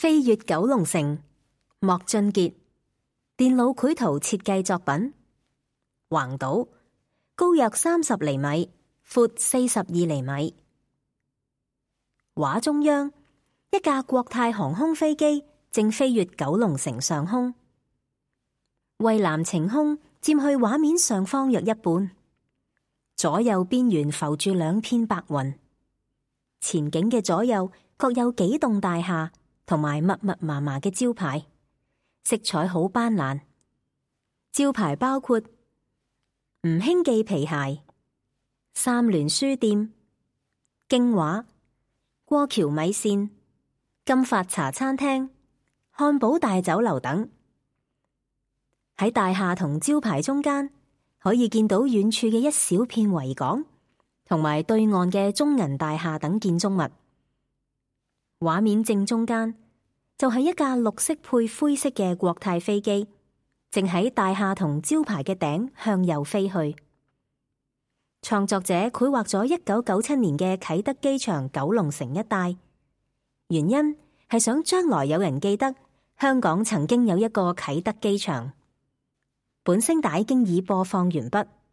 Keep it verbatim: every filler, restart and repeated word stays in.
飛越九龍城，莫俊傑，電腦繪圖設計作品。橫島，高約三十厘米，闊四十二厘米。畫中央，一架國泰航空飛機正飛越九龍城上空，蔚藍晴空佔去畫面上方約一半，左右邊緣浮住兩片白雲，前景嘅左右各有幾棟大廈同埋密密麻麻嘅招牌，色彩好斑斕。招牌包括吳興記皮鞋、三聯書店、京畫、過橋米線、金發茶餐廳、漢堡大酒樓等。喺大廈同招牌中間，可以見到遠處嘅一小片維港，同埋對岸嘅中銀大廈等建築物。畫面正中間就係一架綠色配灰色嘅國泰飛機，正喺大廈同招牌嘅頂向右飛去。創作者繪畫咗一九九七年嘅啟德機場九龍城一帶，原因係想將來有人記得香港曾經有一個啟德機場。本聲帶經已播放完畢。